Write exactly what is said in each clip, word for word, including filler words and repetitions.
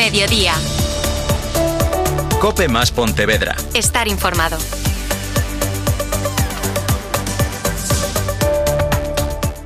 Mediodía. COPE más Pontevedra. Estar informado.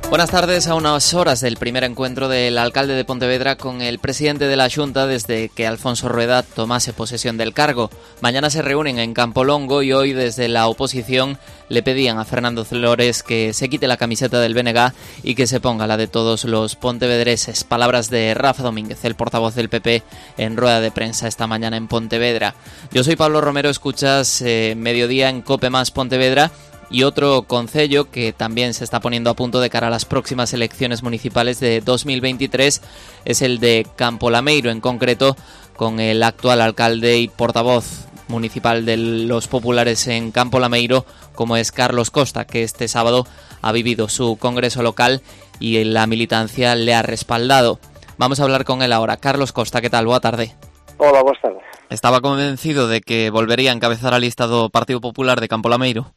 Buenas tardes. A unas horas del primer encuentro del alcalde de Pontevedra con el presidente de la Xunta desde que Alfonso Rueda tomase posesión del cargo. Mañana se reúnen en Campolongo y hoy desde la oposición le pedían a Fernando Flores que se quite la camiseta del B N G y que se ponga la de todos los pontevedreses. Palabras de Rafa Domínguez, el portavoz del P P, en rueda de prensa esta mañana en Pontevedra. Yo soy Pablo Romero, escuchas eh, Mediodía en COPE más Pontevedra. Y otro concello que también se está poniendo a punto de cara a las próximas elecciones municipales de dos mil veintitrés es el de Campolameiro, en concreto con el actual alcalde y portavoz municipal de los populares en Campolameiro, como es Carlos Costa, que este sábado ha vivido su congreso local y la militancia le ha respaldado. Vamos a hablar con él ahora. Carlos Costa, ¿qué tal? Boa tarde. Hola, buenas tardes. ¿Estaba convencido de que volvería a encabezar a lista do Partido Popular de Campolameiro?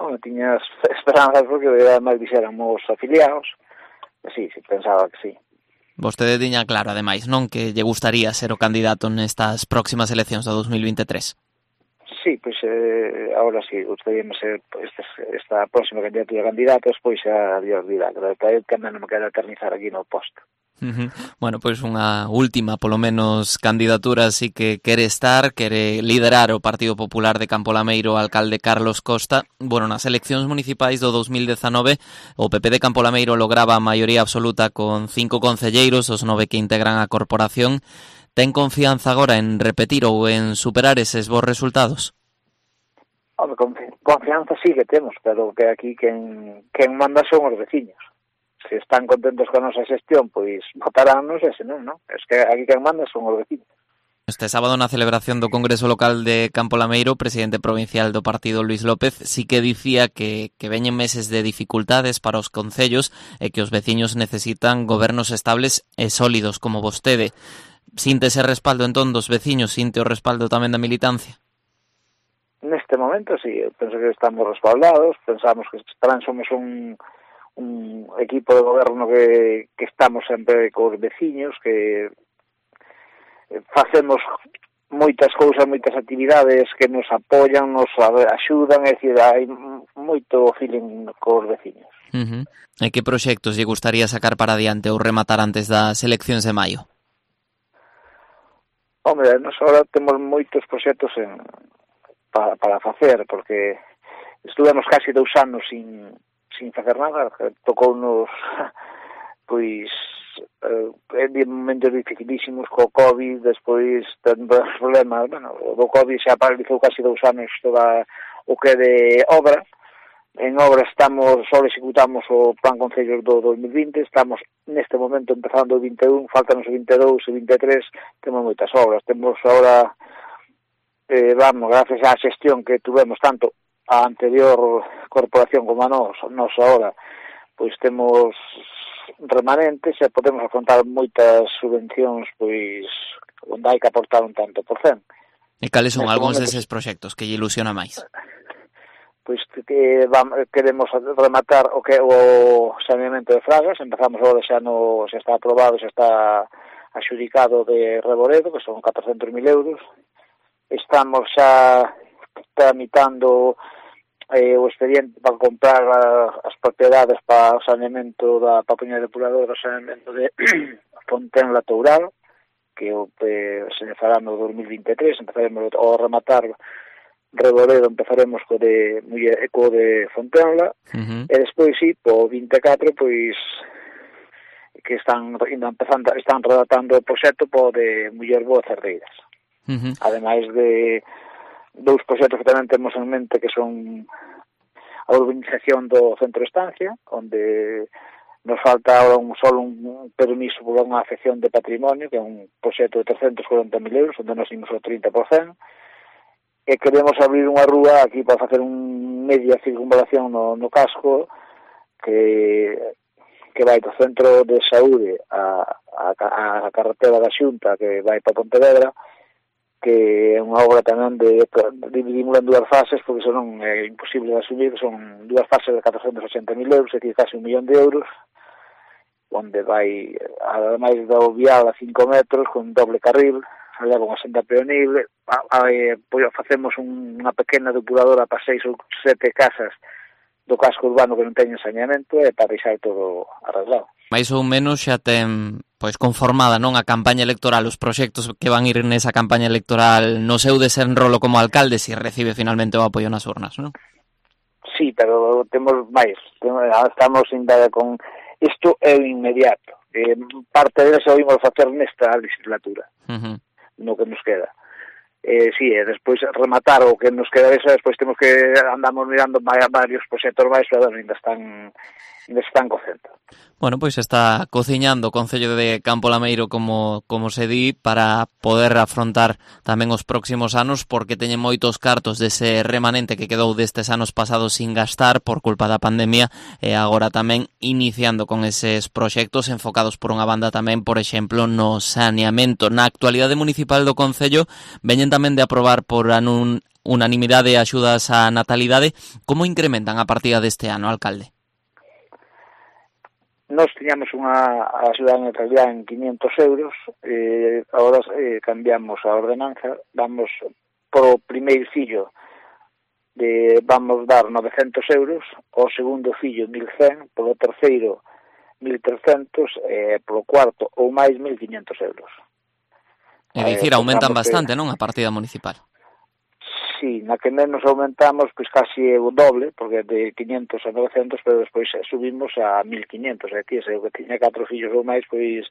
Non tiñas esperanzas porque ademais dixéramos afiliados. Sí, sí, pensaba que sí. Vostede tiña claro, ademais, non, que lle gustaría ser o candidato nestas próximas eleccións do dos mil veintitrés. Sí, pois eh, agora sí, gustaríame ser esta, esta próxima candidatura de candidatos, pois xa Dios dirá, que que non me quero eternizar aquí no posto. Uh-huh. Bueno, pois unha última, polo menos, candidatura así que quere estar, quere liderar o Partido Popular de Campolameiro, o alcalde Carlos Costa. Bueno, nas eleccións municipais do dos mil dezanove, o P P de Campolameiro lograba a maioría absoluta con cinco concelleiros, os nove que integran a corporación. Ten confianza agora en repetir ou en superar eses bons resultados? Home, confianza sí que temos, pero que aquí quen, quen manda son os veciños. Se están contentos con a nosa xestión, pois votaránnos, e se non, non? Es que aquí quen manda son os vecinos. Este sábado na celebración do Congreso Local de Campolameiro, o presidente provincial do partido Luís López sí que dicía que, que veñen meses de dificultades para os concellos e que os veciños necesitan gobernos estables e sólidos como vostede. Sinte ese respaldo entón dos veciños, sinte o respaldo tamén da militancia? Neste momento, sí, penso que estamos respaldados, pensamos que tamén somos un... un equipo de goberno que, que estamos sempre cos veciños, que facemos moitas cousas, moitas actividades que nos apoian, nos axudan, é dicir, hai moito feeling cos veciños. Uh-huh. E que proxectos lle gustaría sacar para adiante ou rematar antes das eleccións de maio? Hombre, nos agora temos moitos proxectos en, para, para facer, porque estuvemos casi dous anos sin sin facer nada, tocounos pois eh, en momentos dificilísimos co COVID, despois tendo problemas, bueno, o do COVID xa paralizou casi dous anos toda o que de obra. En obra estamos, só executamos o plan concellos do dos mil vinte, estamos neste momento empezando o vinte e un, faltanos o vinte e dous e vinte e tres, temos moitas obras, temos agora eh, vamos, gracias á xestión que tuvemos tanto a anterior corporación como a nos, nos ahora, pois temos remanentes e podemos afrontar moitas subvencións, pois onde hai que aportar un tanto por cen. E cales son Neste algúns momento, deses proxectos que lle ilusiona máis? Pois que vamos, queremos rematar o que o saneamento de Fragas, empezamos agora xa no, xa está aprobado, xa está axudicado de Reboredo, que son catrocentos mil euros. Estamos xa tramitando eh, o expediente para comprar a, as propiedades para o saneamento da papuña depuradora, o saneamento de Fontenla Toural, que eh, se fará no dos mil vinte e tres, empezaremos ao rematar Reboredo, empezaremos co de co de Fontenla, uh-huh. E despois sí, po vinte e catro, pois que están empezando, están redactando o proxecto po de Muller Boa Cerdeiras. Uh-huh. Ademais de dous proxectos que tamén temos en mente, que son a urbanización do centro de estancia, onde nos falta ahora un solo un permiso por unha afección de patrimonio, que é un proxecto de trescentos cuarenta mil euros, onde nos imos o trinta por cento, e queremos abrir unha rúa aquí para facer un media circunvalación no, no casco, que que vai do centro de saúde a, a, a carretera da Xunta, que vai para Pontevedra, que é unha obra tamén de, dividimos en dúas fases, porque senón é imposible de asumir, son dúas fases de catrocentos ochenta mil euros, é dicir, casi un millón de euros, onde vai, ademais do vial a cinco metros, con doble carril, leva unha senda peonible, pois facemos unha pequena depuradora para seis ou sete casas do casco urbano que non teñen saneamento e para deixar todo arreglado. Mais ou menos xa ten pois conformada, non, a campaña electoral, os proxectos que van ir nesa campaña electoral no seu desenrolo como alcalde, se si recibe finalmente o apoio nas urnas, non? Sí, pero temos máis, estamos ainda con... Isto é o inmediato, eh, parte de eso vimos facer nesta legislatura, uh-huh. no que nos queda. Eh, sí, e despois rematar o que nos queda desa, despois temos que andamos mirando varios proxectos máis, pero ainda están ainda están cocendo. Bueno, pois está cociñando o Concello de Campo Lameiro, como como se di, para poder afrontar tamén os próximos anos, porque teñen moitos cartos dese remanente que quedou destes anos pasados sin gastar por culpa da pandemia, e agora tamén iniciando con eses proxectos enfocados por unha banda tamén, por exemplo, no saneamento. Na actualidade municipal do Concello veñen tamén de aprobar por anun, unanimidade axudas á natalidade. Como incrementan a partida deste ano, alcalde? Nós tiñamos unha axuda de natalidade en quinientos euros, eh, agora eh, cambiamos a ordenanza, vamos pro primeiro fillo, de, vamos dar novecentos euros, o segundo fillo mil cen, polo terceiro mil trescentos, e eh, polo cuarto ou máis mil quinhentos euros. É dicir, eh, aumentan bastante, que... non, a partida municipal? Sí, na que menos aumentamos, pois casi o doble, porque de quinientos a novecentos, pero despois subimos a mil quinhentos, e aquí, se o que tiña catro fillos ou máis, pois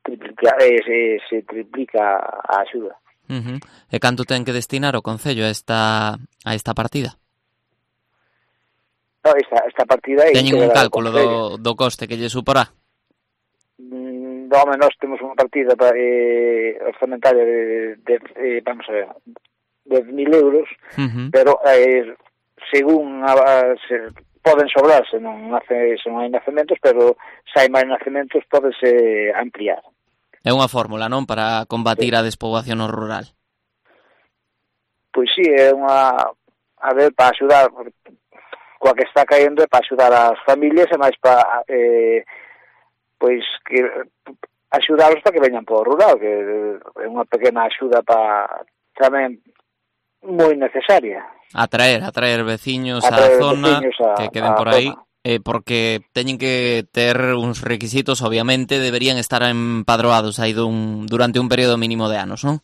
triplica, eh, se, se triplica a axuda. Uh-huh. E canto ten que destinar o Concello a esta, a esta partida? No, esta, esta partida é... Teñen un cálculo do, do coste que lle suporá? Mm, no, menos temos unha partida eh, orzamentaria de, de, de, vamos a ver... de mil euros, uh-huh. pero eh, según a, a, se, poden sobrar se non, nace, se non hai nacementos, pero se hai máis nacementos podese ampliar. É unha fórmula, non, para combatir sí. a despoboación rural? Pois sí, é unha, a ver, para axudar, coa que está caendo é para axudar as familias e máis para eh, pois que axudarlos para que veñan por rural, que é unha pequena axuda para tamén moi necesaria. Atraer, atraer veciños á zona, a, que queden por aí, eh, porque teñen que ter uns requisitos, obviamente, deberían estar empadroados aí dun, durante un período mínimo de anos, non?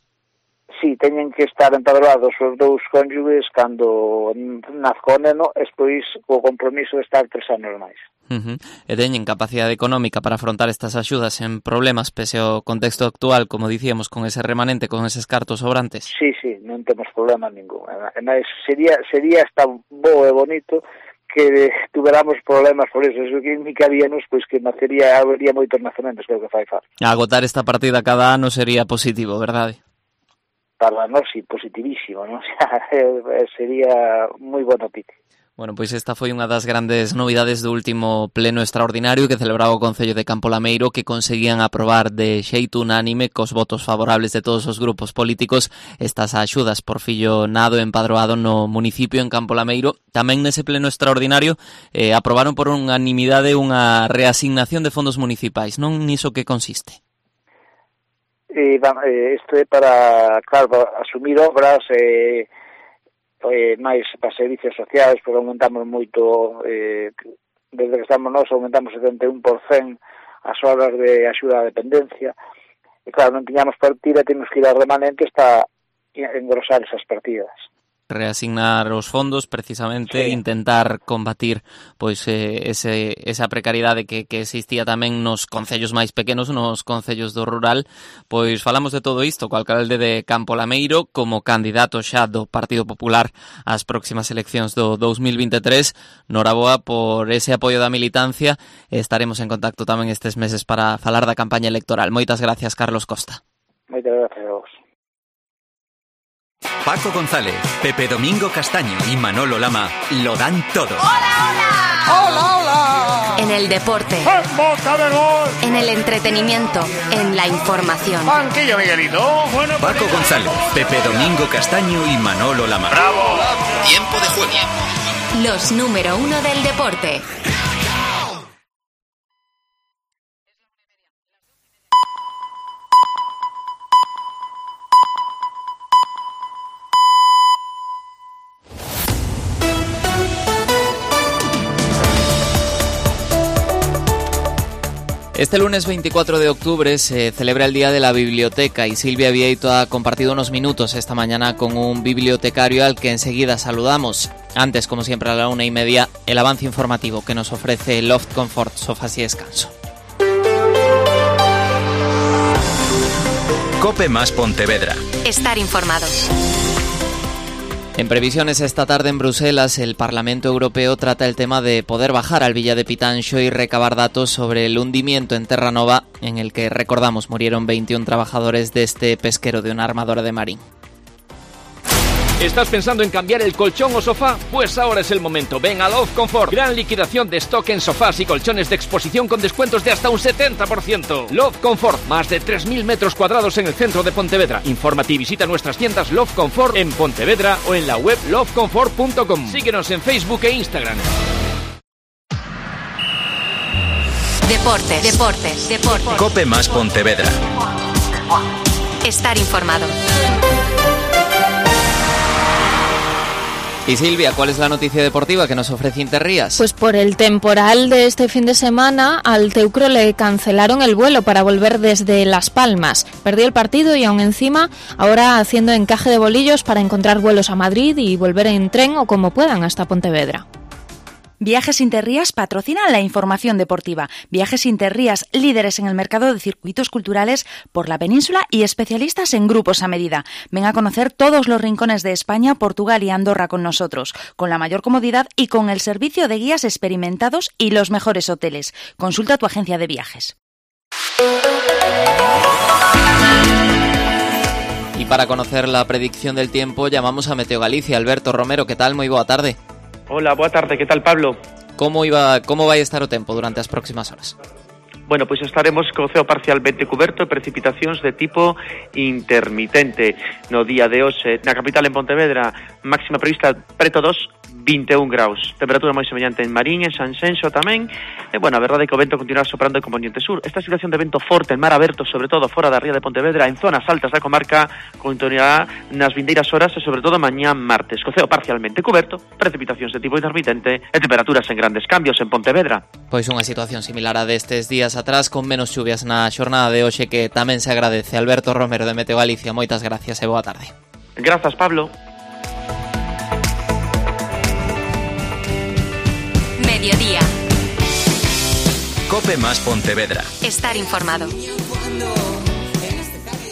Sí, teñen que estar empadroados os dous cónyuges cando nazco o neno, e despois o compromiso de estar tres anos máis. Uh-huh. E teñen capacidade económica para afrontar estas axudas en problemas pese ao contexto actual, como dicíamos, con ese remanente, con eses cartos sobrantes? Sí, sí, non temos problema ningún. Ademais, sería, sería hasta bo e bonito que tuveramos problemas por eso. Eso que indicaríamos, pois, que nacería, habería moitos nacementos, creo que fai far. Agotar esta partida cada ano sería positivo, verdade? Para nós, sí, positivísimo, non? Sería moi boa noticia. Bueno, pois esta foi unha das grandes novidades do último pleno extraordinario que celebraba o Concello de Campo Lameiro, que conseguían aprobar de xeito unánime, cos votos favorables de todos os grupos políticos, estas axudas por fillo nado empadroado no municipio en Campo Lameiro. Tamén nese pleno extraordinario eh, aprobaron por unanimidade unha reasignación de fondos municipais, non niso que consiste? Eh, isto é para, claro, para asumir obras... Eh... Eh, máis para servicios sociais, porque aumentamos moito, eh, desde que estamos nós aumentamos setenta e un por cento as horas de axuda á dependencia, e claro, non tiñamos partida, temos que ir ao remanente para engrosar esas partidas. Reasignar os fondos, precisamente, sí. Intentar combatir pois eh, ese, esa precariedade que, que existía tamén nos concellos máis pequenos, nos concellos do rural. Pois falamos de todo isto co alcalde de Campo Lameiro, como candidato xa do Partido Popular ás próximas eleccións do dous mil vinte e tres. Noraboa por ese apoio da militancia. Estaremos en contacto tamén estes meses para falar da campaña electoral. Moitas gracias, Carlos Costa. Moitas gracias a vos. Paco González, Pepe Domingo Castaño y Manolo Lama lo dan todo. ¡Hola, hola! ¡Hola, hola! En el deporte, ¡en boca de gol! En el entretenimiento, en la información. ¡Banquillo, Miguelito! Bueno, Paco González, Pepe Domingo Castaño y Manolo Lama. ¡Bravo! Tiempo de juego. Los número uno del deporte. Este lunes veinticuatro de octubre se celebra el Día de la Biblioteca y Silvia Vieito ha compartido unos minutos esta mañana con un bibliotecario al que enseguida saludamos. Antes, como siempre, a la una y media, el avance informativo que nos ofrece Loft Comfort, sofás y descanso. Cope más Pontevedra. Estar informado. En previsiones esta tarde en Bruselas, el Parlamento Europeo trata el tema de poder bajar al Villa de Pitanxo y recabar datos sobre el hundimiento en Terranova, en el que, recordamos, murieron veintiún trabajadores de este pesquero de una armadora de Marín. ¿Estás pensando en cambiar el colchón o sofá? Pues ahora es el momento. Ven a Love Comfort. Gran liquidación de stock en sofás y colchones de exposición con descuentos de hasta un setenta por ciento. Love Comfort. Más de tres mil metros cuadrados en el centro de Pontevedra. Infórmate y visita nuestras tiendas Love Comfort en Pontevedra o en la web love comfort punto com. Síguenos en Facebook e Instagram. Deportes, deportes, deportes. Cope más Pontevedra. Estar informado. Y Silvia, ¿cuál es la noticia deportiva que nos ofrece Interrías? Pues por el temporal de este fin de semana, al Teucro le cancelaron el vuelo para volver desde Las Palmas. Perdió el partido y aún encima, ahora haciendo encaje de bolillos para encontrar vuelos a Madrid y volver en tren o como puedan hasta Pontevedra. Viajes Interrías patrocinan la información deportiva. Viajes Interrías, líderes en el mercado de circuitos culturales por la península y especialistas en grupos a medida. Ven a conocer todos los rincones de España, Portugal y Andorra con nosotros, con la mayor comodidad y con el servicio de guías experimentados y los mejores hoteles. Consulta tu agencia de viajes. Y para conocer la predicción del tiempo llamamos a Meteo Galicia. Alberto Romero, ¿qué tal? Moi boa tarde. Hola, boa tarde, que tal, Pablo? Como iba, como vai estar o tempo durante as próximas horas? Bueno, pois estaremos co ceo parcialmente cuberto e precipitacións de tipo intermitente. No día de hoxe, na capital en Pontevedra, máxima prevista preto dos, vinte e un graus. Temperatura moi semellante en Marín, en Sanxenxo tamén. E, bueno, a verdade é que o vento continuará soprando en componente sur. Esta situación de vento forte en mar aberto, sobre todo fora da ría de Pontevedra, en zonas altas da comarca, continuará nas vindeiras horas e, sobre todo, mañá martes. Co ceo parcialmente cuberto, precipitacións de tipo intermitente e temperaturas en grandes cambios en Pontevedra. Pois unha situación similar a destes días atrás, con menos chuvias na xornada de hoxe, que tamén se agradece. Alberto Romero, de Meteo Galicia, moitas gracias e boa tarde. Grazas, Pablo. Mediodía. Cope más Pontevedra. Estar informado.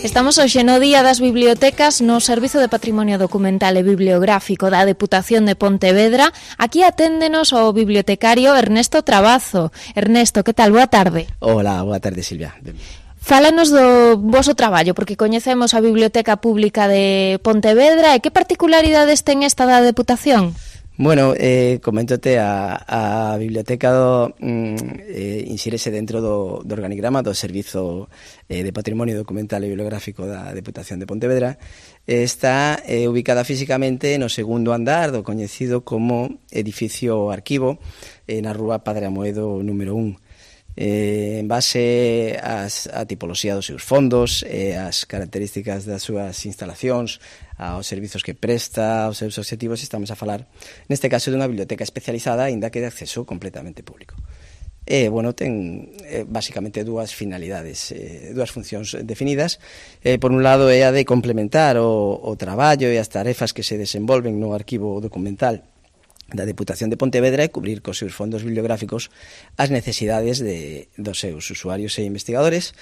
Estamos hoxe no Día das Bibliotecas no Servizo de Patrimonio Documental e Bibliográfico da Deputación de Pontevedra. Aquí aténdenos o bibliotecario Ernesto Trabazo. Ernesto, que tal? Boa tarde. Hola, boa tarde, Silvia. Fálanos do voso traballo, porque coñecemos a Biblioteca Pública de Pontevedra e que particularidades ten esta da Deputación? Bueno, eh, coméntote, a, a biblioteca do, mm, eh, insírese dentro do, do organigrama do Servizo eh, de Patrimonio Documental e Bibliográfico da Deputación de Pontevedra. Eh, está eh, ubicada físicamente no segundo andar do coñecido como edificio arquivo eh, na rúa Padre Amoedo número un. Eh, en base ás, a tipoloxía dos seus fondos e as características das súas instalacións, aos servizos que presta, aos seus obxectivos, estamos a falar neste caso dunha biblioteca especializada aínda que de acceso completamente público. E, bueno, ten eh, basicamente dúas finalidades, eh, dúas funcións definidas. Eh, por un lado é a de complementar o, o traballo e as tarefas que se desenvolven no arquivo documental da Deputación de Pontevedra e cubrir cos seus fondos bibliográficos as necesidades de, dos seus usuarios e investigadores.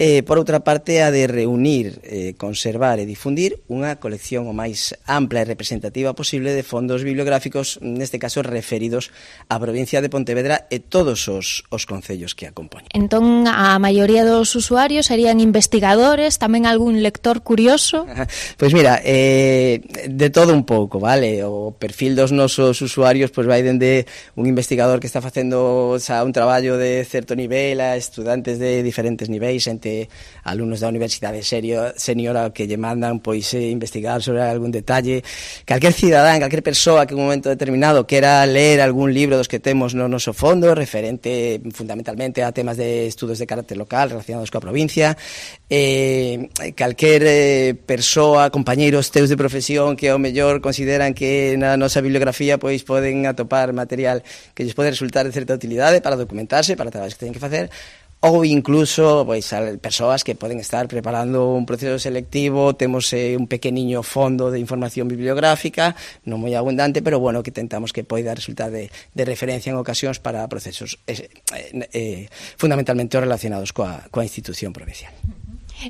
E, por outra parte, a de reunir, eh, conservar e difundir unha colección o máis ampla e representativa posible de fondos bibliográficos, neste caso referidos á provincia de Pontevedra e todos os, os concellos que a compoñen. Entón, a maioría dos usuarios serían investigadores, tamén algún lector curioso? Pois mira, eh, de todo un pouco, vale? O perfil dos nosos usuarios pois vai dende un investigador que está facendo xa un traballo de certo nivel a estudantes de diferentes niveis, entre alumnos da Universidade Senior que lle mandan pois eh, investigar sobre algún detalle. Calquer cidadán, calquer persoa que en un momento determinado quera ler algún libro dos que temos no noso fondo referente fundamentalmente a temas de estudos de carácter local relacionados coa provincia, eh, calquer eh, persoa, compañeiros teus de profesión que ao mellor consideran que na nosa bibliografía pois poden atopar material que lles pode resultar de certa utilidade para documentarse, para traballos que teñen que facer, ou incluso pois persoas que poden estar preparando un proceso selectivo, temos eh, un pequeniño fondo de información bibliográfica, non moi abundante, pero bueno, que tentamos que poida resultar de, de referencia en ocasións para procesos eh, eh, fundamentalmente relacionados coa, coa institución provincial.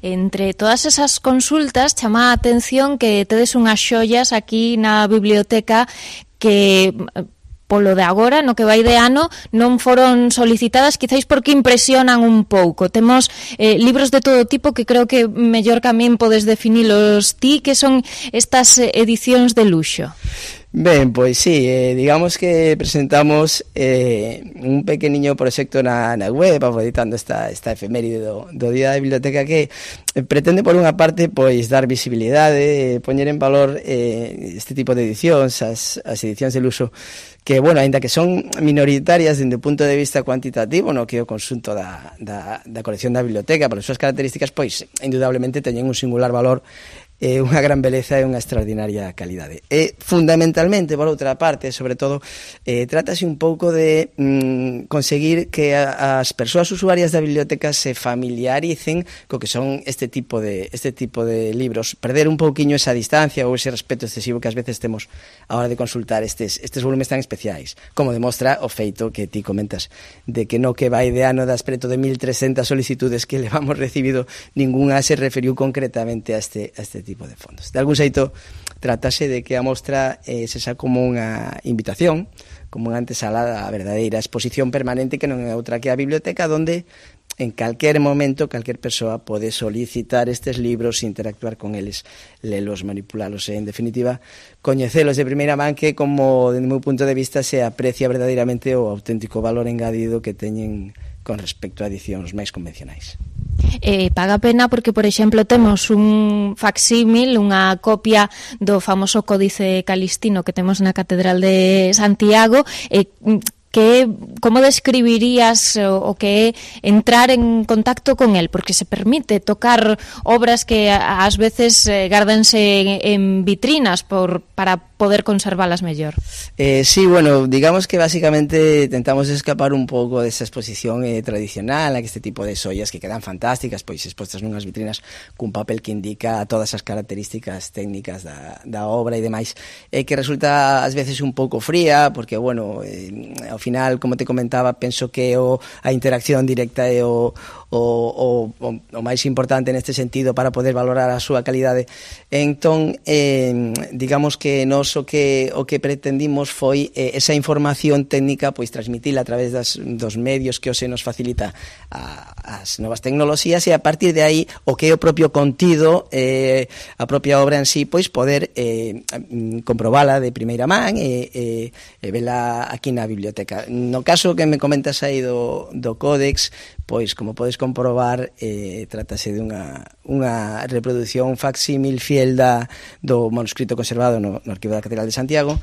Entre todas esas consultas chama a atención que tedes unhas xoias aquí na biblioteca que polo de agora, no que vai de ano, non foron solicitadas, quizáis porque impresionan un pouco. Temos eh, libros de todo tipo que creo que mellor que a min podes definilos ti, que son estas edicións de luxo. Ben, pois sí, eh, digamos que presentamos eh, un pequeniño proxecto na, na web, aproveitando esta, esta efeméride do, do Día da Biblioteca, que eh, pretende, por unha parte, pois dar visibilidade, eh, poñer en valor eh, este tipo de edicións, as, as edicións de luxo, que, bueno, ainda que son minoritarias dende o punto de vista cuantitativo, no que o conxunto da, da, da colección da biblioteca, por as súas características, pois, indudablemente, teñen un singular valor, é unha gran beleza e unha extraordinaria calidade. E, fundamentalmente, por outra parte, sobre todo, eh, trátase un pouco de mm, conseguir que a, as persoas usuarias da biblioteca se familiaricen co que son este tipo de este tipo de libros, perder un pouquiño esa distancia ou ese respeto excesivo que ás veces temos a hora de consultar estes, estes volumes tan especiais, como demostra o feito que ti comentas, de que no que vai de ano das preto de mil trescentas solicitudes que levamos recibido, ninguna se referiu concretamente a este, a este tipo tipo de fondos. De algún xeito, tratase de que a mostra eh, se xa como unha invitación, como unha antesala a verdadeira exposición permanente que non é outra que a biblioteca, donde en calquer momento, calquer persoa pode solicitar estes libros, interactuar con eles, lelos, manipulalos e, en definitiva, coñecelos de primeira man, que, como, dende o meu punto de vista, se aprecia verdadeiramente o auténtico valor engadido que teñen con respecto a edicións máis convencionais. Eh, paga pena porque, por exemplo, temos un facsímil, unha copia do famoso Códice Calistino que temos na Catedral de Santiago, e eh, que como describirías o, o que é entrar en contacto con el, porque se permite tocar obras que ás veces eh, gárdanse en, en vitrinas por, para poder conservalas mellor. Eh, sí, bueno, digamos que básicamente tentamos escapar un pouco desa exposición eh, tradicional, a que este tipo de xoias que quedan fantásticas, pois expostas nunhas vitrinas cun papel que indica todas as características técnicas da, da obra e demais, eh, que resulta ás veces un pouco fría, porque, bueno, eh, ao final, como te comentaba, penso que o, a interacción directa é o, o, o, o máis importante neste sentido para poder valorar a súa calidade. Entón, eh, digamos que nos o que o que pretendimos foi eh, esa información técnica, pois transmitila a través das, dos medios que hoxe nos facilita a, as novas tecnoloxías, e a partir de aí o que é o propio contido, eh, a propia obra en sí, pois poder eh, comprobala de primeira man e, e, e vela aquí na biblioteca. No caso que me comentas aí do, do Códex, pois, como podes comprobar, eh, trátase de unha, unha reproducción facsímil fiel da, do manuscrito conservado no, no Arquivo da Catedral de Santiago,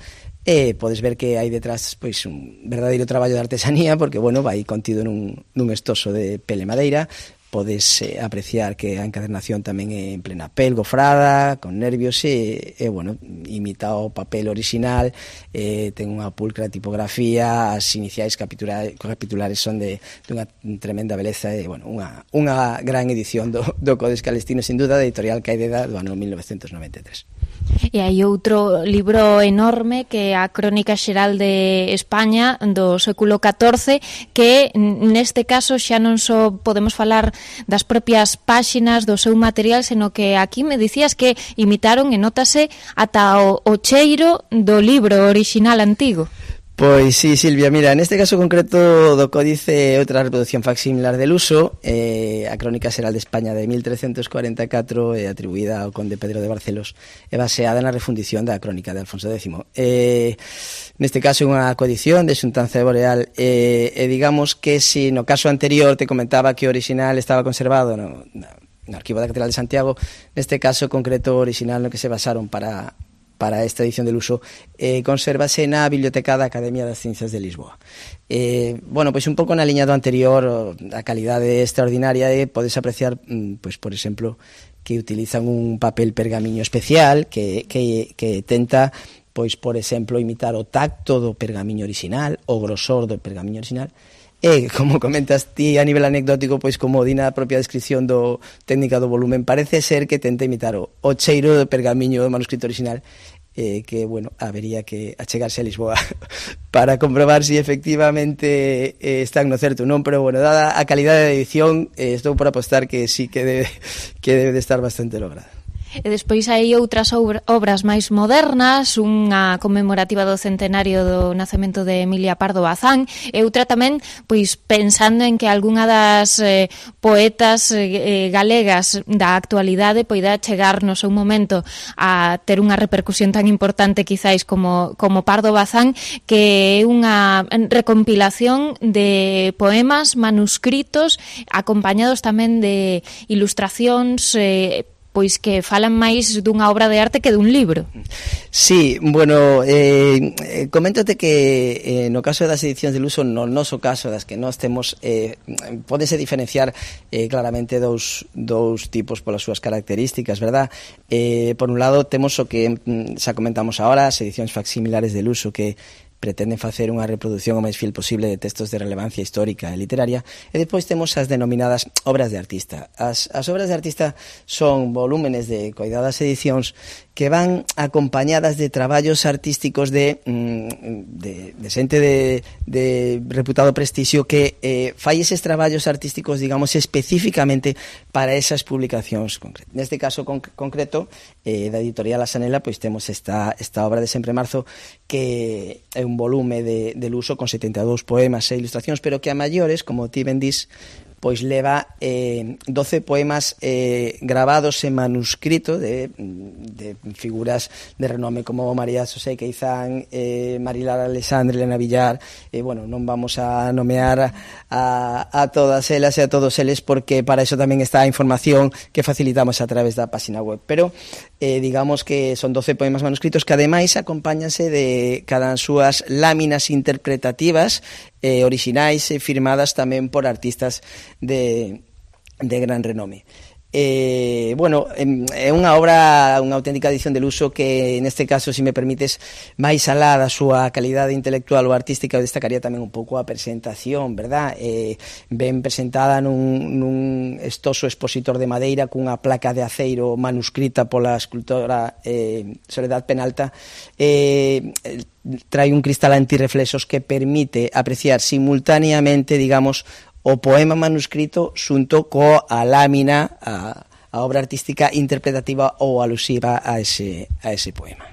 e podes ver que hai detrás, pois, un verdadeiro traballo de artesanía, porque, bueno, vai contido nun, nun estoso de pele madeira. Podes eh, apreciar que a encadernación tamén é en plena pel, gofrada, con nervios, e, e bueno, imita o papel original, eh, ten unha pulcra tipografía, as iniciais capitulares, capitulares son de, de unha tremenda beleza, e, bueno, unha, unha gran edición do, do Códex Calistino, sin duda, da editorial Caideda, do ano mil novecentos noventa e tres. E hai outro libro enorme que é a Crónica Xeral de España do século catorce, que neste caso xa non só podemos falar das propias páxinas do seu material, seno que aquí me dicías que imitaron e notase ata o, o cheiro do libro original antigo. Pois sí, Silvia, mira, neste caso concreto do Códice, outra reproducción facsimilar del uso, eh, a Crónica Xeral de España de mil trescentos cuarenta e catro, eh, atribuída ao conde Pedro de Barcelos, e baseada na refundición da Crónica de Alfonso décimo. Eh, neste caso é unha coedición de xuntanza de Boreal, eh, e digamos que si no caso anterior te comentaba que o original estaba conservado no, no Arquivo da Catedral de Santiago, neste caso concreto o original no que se basaron para... para esta edición del uso, eh, consérvase na Biblioteca da Academia das Ciencias de Lisboa. Eh, bueno, pois un pouco na liña do anterior, a calidade extraordinaria, e podes apreciar, pois, por exemplo, que utilizan un papel pergamiño especial que, que, que tenta, pois, por exemplo, imitar o tacto do pergamiño original, o grosor do pergamiño original, E, como comentas ti a nivel anecdótico, pois como di na propia descripción do técnica do volumen, parece ser que tenta imitar o, o cheiro do pergamiño do manuscrito original, eh, que, bueno, habería que achegarse a Lisboa para comprobar si efectivamente eh, están no certo ou non, pero, bueno, dada a calidade de edición, eh, estou por apostar que sí que debe, que debe de estar bastante lograda. E despois hai outras obras máis modernas, unha conmemorativa do centenario do nacemento de Emilia Pardo Bazán, e outra tamén, pois pensando en que algunha das eh, poetas eh, galegas da actualidade poida chegar no seu momento a ter unha repercusión tan importante quizáis como, como Pardo Bazán, que é unha recompilación de poemas manuscritos acompañados tamén de ilustracións eh, pois que falan máis dunha obra de arte que dun libro. Sí, bueno, eh, coméntate que eh, no caso das edicións de luso, no noso caso das que nós temos, eh, pódese diferenciar eh, claramente dous, dous tipos polas súas características, verdad? Eh, por un lado temos o que xa comentamos ahora, as edicións facsimilares de luso, que pretenden facer unha reproducción o máis fiel posible de textos de relevancia histórica e literaria, e depois temos as denominadas obras de artista. As, as obras de artista son volúmenes de coidadas edicións que van acompañadas de traballos artísticos de, de, de xente de, de reputado prestixio que eh, fai eses traballos artísticos, digamos, especificamente para esas publicacións concretas. Neste caso con, concreto, eh, da editorial Asanela, pois temos esta, esta obra de Sempre Marzo, que é un volume de, de luso con setenta e dous poemas e ilustracións, pero que a maiores, como ti ben dis, pois leva eh, doce poemas eh, grabados en manuscrito de, de figuras de renome como María Xosé Queizán, eh, Marilar Alexandre, Elena Villar, e, eh, bueno, non vamos a nomear a, a todas elas e a todos eles, porque para eso tamén está a información que facilitamos a través da página web, pero eh, digamos que son doce poemas manuscritos que ademais acompáñanse de cada as súas láminas interpretativas eh, orixinais e firmadas tamén por artistas de, de gran renome. Eh, bueno, é unha obra, unha auténtica edición de luso que neste caso, se me permites, máis alá da súa calidade intelectual ou artística, eu destacaría tamén un pouco a presentación, verdad? Eh, ben presentada nun, nun estoso expositor de madeira cunha placa de aceiro manuscrita pola escultora eh, Soledad Penalta, eh, trae un cristal antirreflexos que permite apreciar simultaneamente, digamos, o poema manuscrito xunto coa lámina, a, a obra artística interpretativa ou alusiva a ese, a ese poema.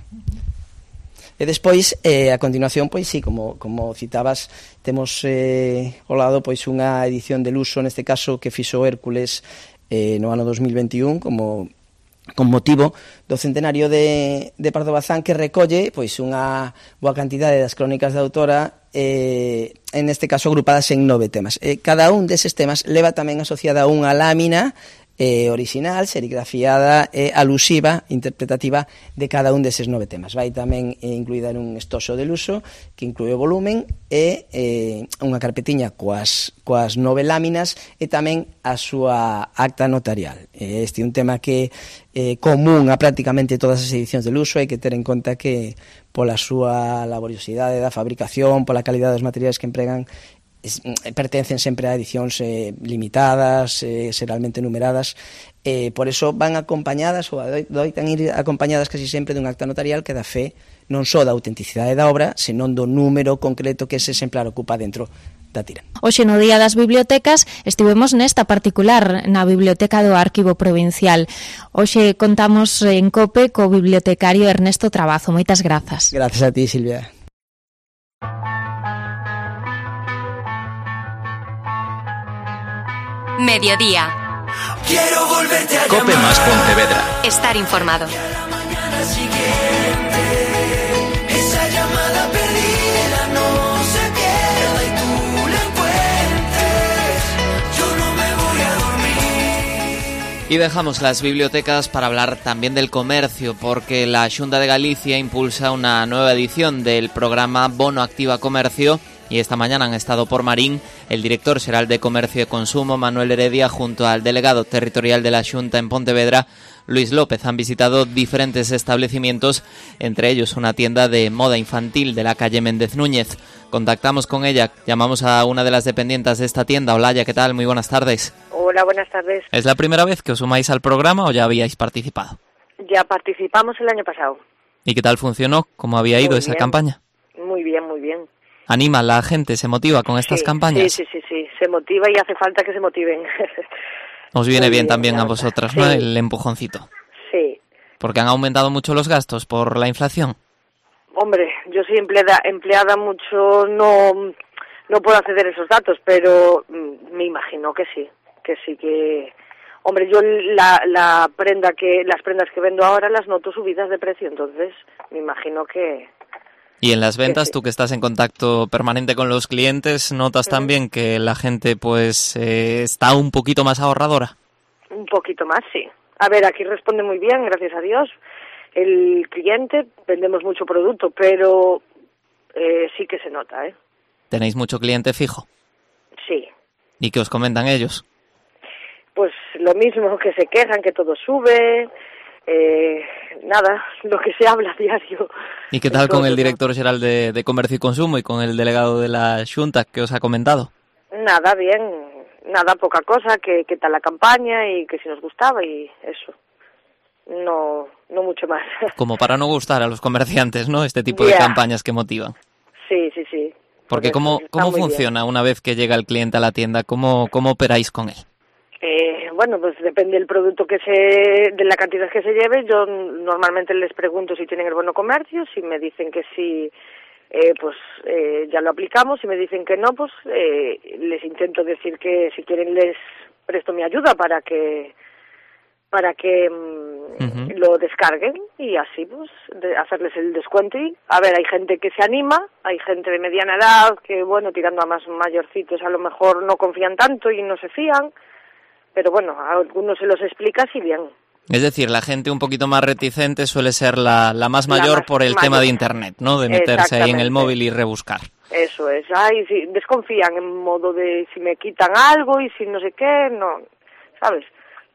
E despois, eh, a continuación, pois sí, como, como citabas, temos eh, ao lado pois unha edición de luso, neste caso que fixo Hércules eh, no ano dos mil veintiún, como con motivo do centenario de, de Pardo Bazán, que recolle pois unha boa cantidade das crónicas da autora, eh, en este caso agrupadas en nove temas. Eh, cada un deses temas leva tamén asociada unha lámina eh, original, serigrafiada e eh, alusiva, interpretativa de cada un deses nove temas. Vai tamén eh, incluída nun estoxo de luso que inclúe o volumen e eh, unha carpetiña coas, coas nove láminas e tamén a súa acta notarial. Eh, este é un tema que é eh, común a prácticamente todas as edicións de luso. Hai que ter en conta que pola súa laboriosidade da fabricación, pola calidade dos materiais que empregan, pertencen sempre a edicións eh, limitadas, eh, serialmente numeradas, eh, por eso van acompañadas ou doitan ir acompañadas casi sempre dun acta notarial que dá fe non só da autenticidade da obra, senón do número concreto que ese exemplar ocupa dentro da tira. Hoxe no Día das Bibliotecas estivemos nesta particular, na Biblioteca do Arquivo Provincial. Hoxe contamos en COPE co bibliotecario Ernesto Trabazo. Moitas grazas. Grazas a ti, Silvia. Mediodía. Quiero volverte a Cope llamar. Más Pontevedra. Estar informado. Esa llamada perdida no se pierda y tú la encuentres. Yo no me voy a dormir. Y dejamos las bibliotecas para hablar también del comercio, porque la Xunta de Galicia impulsa una nueva edición del programa Bono Activa Comercio Y esta mañana han estado por Marín el director xeral de Comercio e Consumo, Manuel Heredia, junto al delegado territorial de la Xunta en Pontevedra, Luis López. Han visitado diferentes establecimientos, entre ellos una tienda de moda infantil de la calle Méndez Núñez. Contactamos con ella, llamamos a una de las dependientes de esta tienda. Olaya, ¿qué tal? Muy buenas tardes. Hola, buenas tardes. ¿Es la primera vez que os sumáis al programa o ya habíais participado? Ya participamos el año pasado. ¿Y qué tal funcionó? ¿Cómo había ido Muy esa bien. campaña? Muy bien, muy bien. ¿Anima a la gente? ¿Se motiva con estas Sí, campañas? Sí, sí, sí, sí, se motiva y hace falta que se motiven. Os viene Muy bien bien, también la a verdad. vosotras, ¿no? Sí. El empujoncito. Sí. Porque han aumentado mucho los gastos por la inflación. Hombre, yo soy empleada, empleada mucho, no, no puedo acceder a esos datos, pero mm, me imagino que sí, que sí que... Hombre, yo la, la prenda que, las prendas que vendo ahora las noto subidas de precio, entonces me imagino que... Y en las ventas, sí. tú que estás en contacto permanente con los clientes, ¿notas también que la gente pues eh, está un poquito más ahorradora? Un poquito más, sí. A ver, aquí responde muy bien, gracias a Dios. El cliente, vendemos mucho producto, pero eh, sí que se nota, ¿eh? ¿Tenéis mucho cliente fijo? Sí. ¿Y qué os comentan ellos? Pues lo mismo, que se quejan, que todo sube, eh, nada, lo que se habla a diario. ¿Y qué tal con el Entonces, director general de, de Comercio y Consumo y con el delegado de la Xunta que os ha comentado? Nada, bien, nada, poca cosa, que, que tal la campaña y que si nos gustaba y eso. No, no mucho más. Como para no gustar a los comerciantes, ¿no? Este tipo Ya. de campañas que motivan. Sí, sí, sí. Porque Por ¿cómo, eso, está cómo muy bien. funciona una vez que llega el cliente a la tienda? ¿Cómo, cómo operáis con él? Eh, bueno, pues depende del producto que se, de la cantidad que se lleve. Yo normalmente les pregunto si tienen el bono comercio, si me dicen que sí, eh, pues eh, ya lo aplicamos, si me dicen que no, pues eh, les intento decir que si quieren les presto mi ayuda para que para que mm, Ujú. lo descarguen y así pues de hacerles el descuento. Y a ver, hay gente que se anima, hay gente de mediana edad que bueno, tirando a más mayorcitos a lo mejor no confían tanto y no se fían, pero bueno, a algunos se los explica así bien. Es decir, la gente un poquito más reticente suele ser la, la más mayor La más por el mayor. tema de Internet, ¿no? De meterse ahí en el Exactamente. móvil y rebuscar. Eso es, ay, sí, desconfían en modo de si me quitan algo y si no sé qué, no, ¿sabes?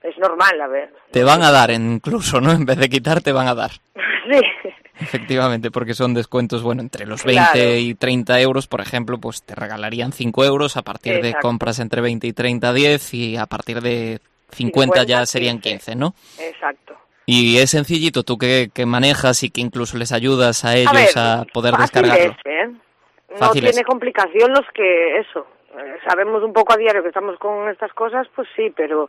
Es normal, a ver. Te van a dar incluso, ¿no? En vez de quitar, te van a dar. Sí, Efectivamente, porque son descuentos, bueno, entre los veinte Claro. y treinta euros, por ejemplo, pues te regalarían cinco euros, a partir de Exacto. compras entre veinte y treinta, diez, y a partir de cincuenta ya serían quince, ¿no? exacto. Y es sencillito, tú que, que manejas y que incluso les ayudas a ellos ver, a, poder fácil descargarlo. es, ¿eh? No Fácil es. tiene complicación los que, eso, eh, sabemos un poco a diario que estamos con estas cosas, pues sí, pero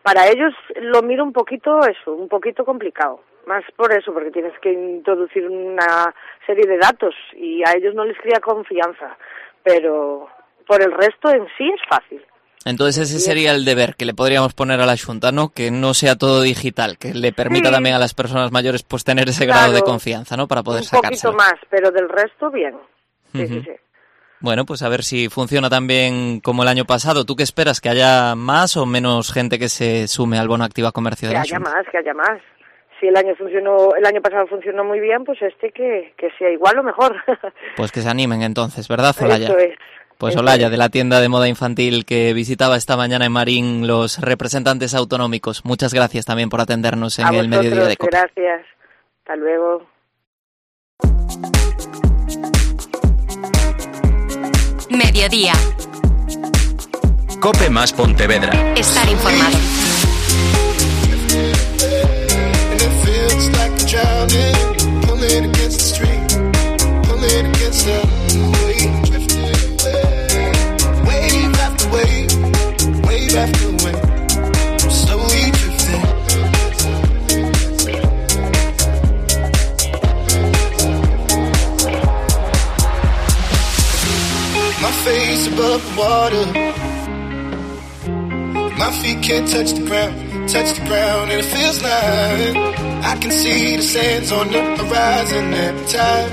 para ellos lo miro un poquito eso, un poquito complicado. Más por eso, porque tienes que introducir una serie de datos y a ellos no les crea confianza, pero por el resto en sí es fácil. Entonces ese sería el deber que le podríamos poner a la Xunta, ¿no? Que no sea todo digital, que le permita Sí. también a las personas mayores pues tener ese grado de Claro. confianza, ¿no? Para poder Un poquito sacárselo. más, pero del resto bien. Sí, Ujú. sí, sí. Bueno, pues a ver si funciona también como el año pasado. ¿Tú qué esperas? ¿Que haya más o menos gente que se sume al bono Activa Comercio de Que la haya Xunta? más, que haya más. Si el año funcionó, el año pasado funcionó muy bien, pues este que, que sea igual o mejor. Pues que se animen entonces, ¿verdad, Olaya? Eso es. Pues eso Olaya, es. de la tienda de moda infantil que visitaba esta mañana en Marín los representantes autonómicos. Muchas gracias también por atendernos en A el vosotros, mediodía de COPE. gracias. Hasta luego. Mediodía. Cope más Pontevedra. Estar informado. My face above the water. My feet can't touch the ground, touch the ground, and it feels like I can see the sands on the horizon every time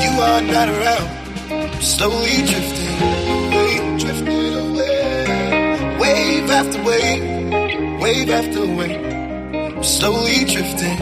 you are not around. Slowly drifting away, drifting away. Wave after wave, wave after wave. Slowly drifting.